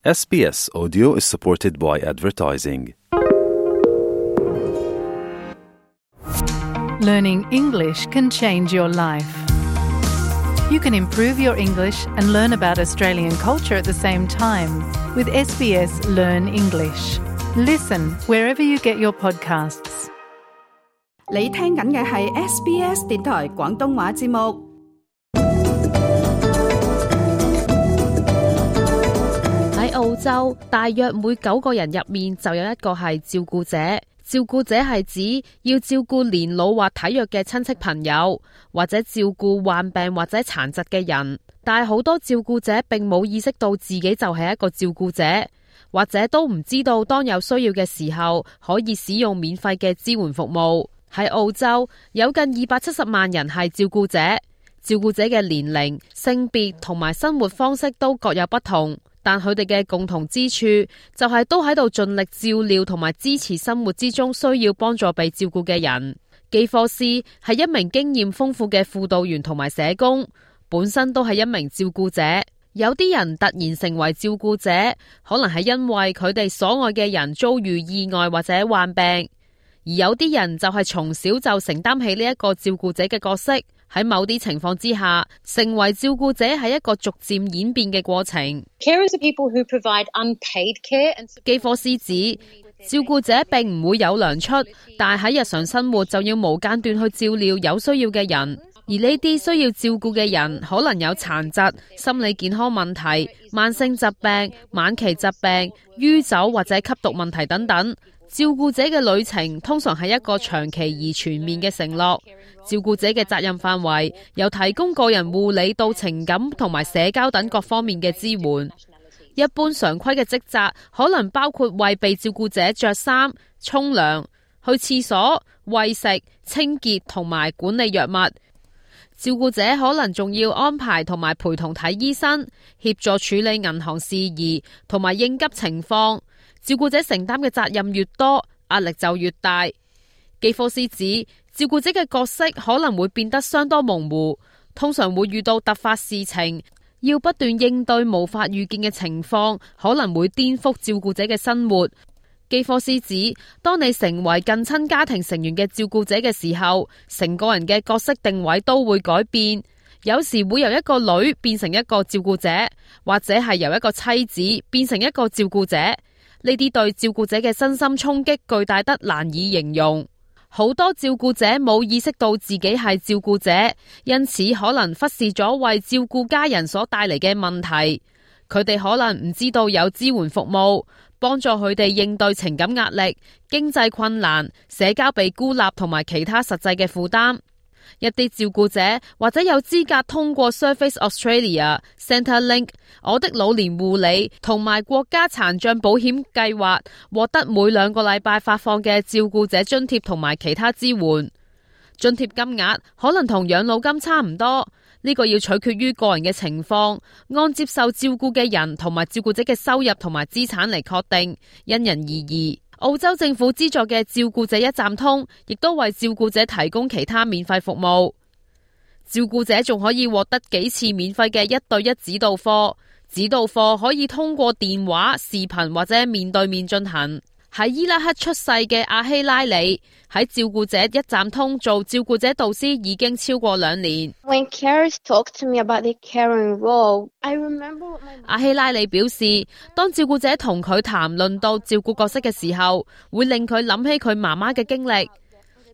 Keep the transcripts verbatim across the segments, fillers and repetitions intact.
S B S Audio is supported by advertising. Learning English can change your life. You can improve your English and learn about Australian culture at the same time with S B S Learn English. Listen wherever you get your podcasts. 你聽緊嘅係 S B S 電台廣東話節目。喺澳洲，大約每九個人入面就有一個係照顧者。照顧者係指要照顧年老或體弱嘅親戚朋友，或者照顧患病或者殘疾嘅人。但係好多照顧者並冇意識到自己就係一個照顧者，或者都唔知道當有需要嘅時候可以使用免費嘅支援服務。喺澳洲，有近二百七十萬人係照顧者。照顧者嘅年齡、性別同埋生活方式都各有不同，但佢哋嘅共同之處就係都喺度盡力照料同埋支持生活之中需要幫助被照顧嘅人。基科斯係一名經驗豐富嘅輔導員同埋社工，本身都係一名照顧者。有啲人突然成為照顧者，可能係因為佢哋所愛嘅人遭遇意外或者患病，而有啲人就係從小就承擔起呢一個照顧者嘅角色。喺某啲情況之下，成為照顧者係一個逐漸演變嘅過程。Carers are people who provide unpaid care and support. 基科斯指，照顧者並唔會有糧出，但係喺日常生活就要無間斷去照料有需要嘅人。而呢啲需要照顧嘅人可能有殘疾、心理健康問題、慢性疾病、晚期疾病、酗酒或者吸毒問題等等。照顧者嘅旅程通常係一個長期而全面嘅承諾。照顧者嘅責任範圍由提供個人護理到情感同埋社交等各方面嘅支援。一般常規嘅職責可能包括為被照顧者着衫、沖涼、去廁所、餵食、清潔同埋管理藥物。照顧者可能仲要安排同埋陪同睇醫生，協助處理銀行事宜同埋應急情況。照顧者承擔嘅責任越多，壓力就越大。基科斯指，照顧者嘅角色可能會變得相當模糊，通常會遇到突發事情，要不斷應對無法預見嘅情況，可能會顛覆照顧者嘅生活。基科斯指，當你成為近親家庭成員嘅照顧者嘅時候，成個人嘅角色定位都會改變，有時會由一個女變成一個照顧者，或者係由一個妻子變成一個照顧者。呢啲對照顧者嘅身心衝擊巨大得難以形容。好多照顧者冇意識到自己係照顧者，因此可能忽視咗為照顧家人所帶嚟嘅問題。佢哋可能唔知道有支援服務，幫助佢哋應對情感壓力、經濟困難、社交被孤立同埋其他實際嘅負擔。一啲照顧者或者有資格通過 Surface Australia、Centrelink、我的老年護理同埋國家殘障保險計劃獲得每兩個禮拜發放嘅照顧者津貼同埋其他支援。津貼金額可能同養老金差唔多，呢個要取決於個人嘅情況，按接受照顧嘅人同埋照顧者嘅收入同埋資產嚟確定，因人而異。澳洲政府資助嘅照顧者一站通，亦都為照顧者提供其他免費服務。照顧者仲可以獲得幾次免費嘅一對一指導課，指導課可以通過電話、視頻或者面對面進行。喺伊拉克出世嘅阿希拉里喺照顧者一站通做照顧者導師已經超過兩年。When carers talk to me about the caring role, I remember what my... 阿希拉里表示，當照顧者同佢談論到照顧角色嘅時候，會令佢諗起佢媽媽嘅經歷。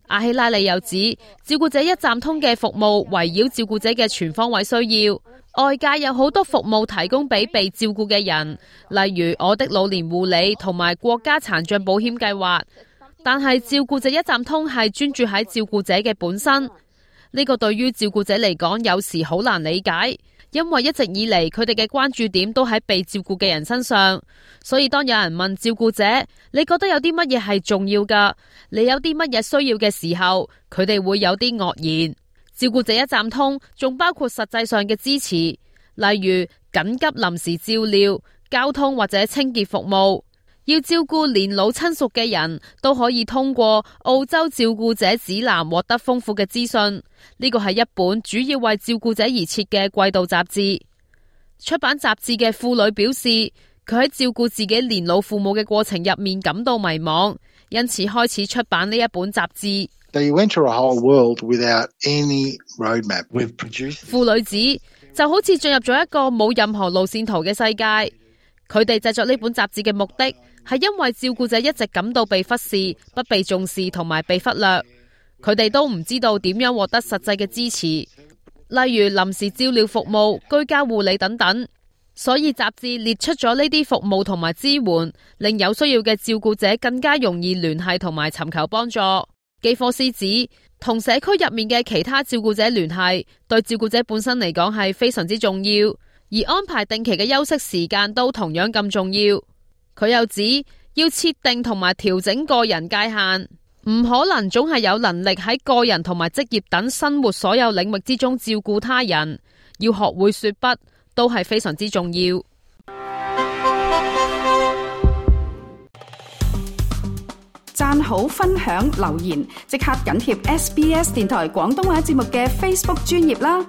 阿希拉里又指，照顧者一站通嘅服務圍繞照顧者嘅全方位需要。外界有好多服務提供俾被照顧嘅人，例如我的老年護理同埋國家殘障保險計劃。但係照顧者一站通係專注喺照顧者嘅本身，呢個對於照顧者嚟講有時好難理解，因為一直以嚟佢哋嘅關注點都喺被照顧嘅人身上。所以當有人問照顧者，你覺得有啲乜嘢係重要㗎？你有啲乜嘢需要嘅時候，佢哋會有啲愕然。照顧者一站通仲包括實際上嘅支持，例如緊急臨時照料、交通或者清潔服務。要照顧年老親屬嘅人都可以通過澳洲照顧者指南獲得豐富嘅資訊。呢個係一本主要為照顧者而設嘅季度雜誌。出版雜誌嘅婦女表示，佢喺照顧自己年老父母嘅過程入面感到迷茫，因此開始出版呢一本雜誌。They went to a whole world without any roadmap. We've produced. 父女子就好似進入咗一個冇任何路線圖嘅世界。佢哋製作呢本雜誌嘅目的係因為照顧者一直感到被忽視、不被重視同埋被忽略。佢哋都唔知道點樣獲得實際嘅支持，例如臨時照料服務、居家護理等等。所以雜誌列出咗呢啲服務同埋支援，令有需要嘅照顧者更加容易聯繫同埋尋求幫助。基科斯指，同社區入面嘅其他照顧者聯繫，對照顧者本身嚟講係非常之重要，而安排定期嘅休息時間都同樣咁重要。佢又指，要設定同埋調整個人界限，唔可能總係有能力喺個人同埋職業等生活所有領域之中照顧他人，要學會說不，都係非常之重要。讚好、分享、留言，即刻緊貼 S B S 電台廣東話節目嘅 Facebook 專頁啦！